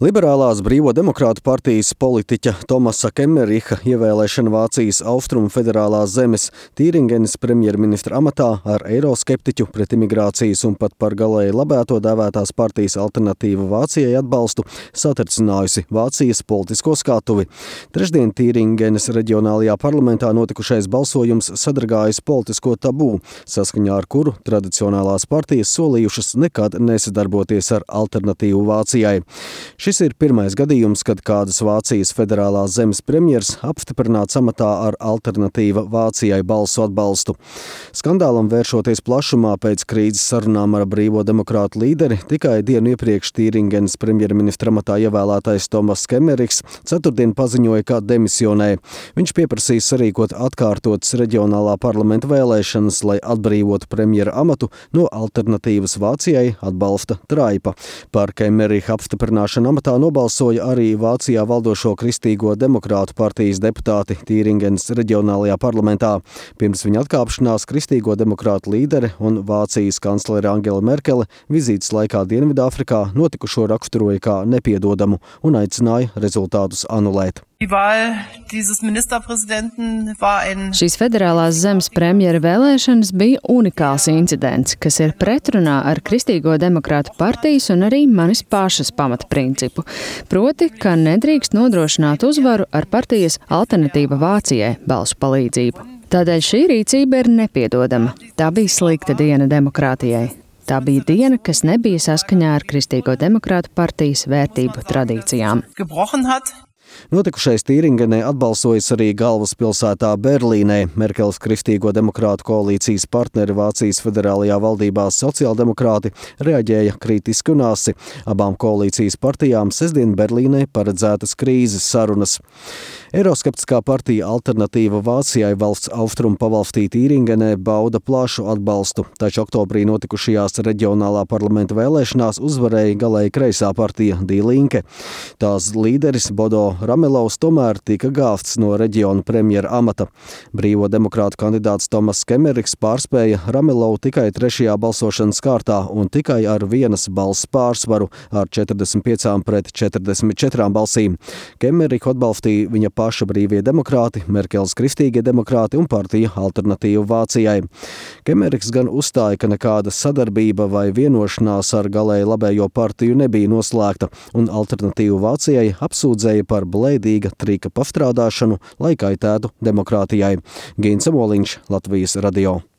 Liberālās Brīvo demokrātu partijas politiķa Tomasa Kemmeriha ievēlēšana Vācijas Austrumu federālās zemes Tīringenes premjerministra amatā ar eiroskeptiķu pret imigrācijas un pat par galēji labēto dēvētās partijas Alternatīva Vācijai atbalstu satricinājusi Vācijas politisko skatuvi. Trešdien Tīringenes reģionālajā parlamentā notikušais balsojums sadragājis politisko tabū, saskaņā ar kuru tradicionālās partijas solījušas nekad nesadarboties ar Alternatīvu Vācijai. Šis ir pirmais gadījums, kad kādas Vācijas federālās zemes premjers apstiprināts amatā ar Alternatīva Vācijai balsu atbalstu. Skandālam vēršoties plašumā pēc krīzes sarunām ar Brīvo demokrātu līderi, tikai dienu iepriekš Tīringenes premjerministra amatā ievēlētais Tomas Kemmeriks ceturtdien paziņoja, ka demisionē. Viņš pieprasīs sarīkot atkārtotas reģionālā parlamenta vēlēšanas, lai atbrīvotu premjera amatu no Alternatīvas Vācijai atbalsta traipa. Par Kemmeriha apstiprināšanu amatā nobalsoja arī Vācijā valdošo Kristīgo demokrātu partijas deputāti Tīringenes reģionālajā parlamentā. Pirms viņa atkāpšanās Kristīgo demokrātu līdere un Vācijas kanclere Angela Merkele vizītes laikā Dienvidāfrikā notikušo raksturoja kā nepiedodamu un aicināja rezultātus anulēt. Šīs federālās zemes premjera vēlēšanas bija unikāls incidents, kas ir pretrunā ar Kristīgo demokrātu partijas un arī manis pašas pamatprincipu. Proti, ka nedrīkst nodrošināt uzvaru ar partijas Alternatīva Vācijai balsu palīdzību. Tādēļ šī rīcība ir nepiedodama. Tā bija slikta diena demokrātijai. Tā bija diena, kas nebija saskaņā ar Kristīgo demokrātu partijas vērtību tradīcijām. Notikušais Tīringenē atbalsojas arī galvaspilsētā Berlīnē. Merkeles Kristīgo demokrātu koalīcijas partneri Vācijas federālajā valdībā sociāldemokrāti reaģēja kritiski un asi. Abām koalīcijas partijām sestdien Berlīnē paredzētas krīzes sarunas. Eiroskeptiskā partija Alternatīva Vācijai valsts austrumu pavalstī Tīringenē bauda plašu atbalstu, taču oktobrī notikušajās reģionālā parlamenta vēlēšanās uzvarēja galēji kreisā partija Die Linke. Tās līderis Bodo Ramelovs tomēr tika gāvts no reģiona premjera amata. Brīvo demokrātu kandidāts Tomas Kemmeriks pārspēja Ramelovu tikai trešajā balsošanas kārtā un tikai ar vienas balss pārsvaru ar 45 pret 44 balsīm. Kemmeriku atbalstīja viņa paša Brīvie demokrāti, Merkeles Kristīgie demokrāti un partija Alternatīva Vācijai. Kemmeriks gan uzstāja, ka nekāda sadarbība vai vienošanās ar galēji labējo partiju nebija noslēgta, un Alternatīva Vācijai apsūdzēja par blēdīga trika pastrādāšanu, lai kaitētu demokrātijai. Gins Amoliņš, Latvijas radio.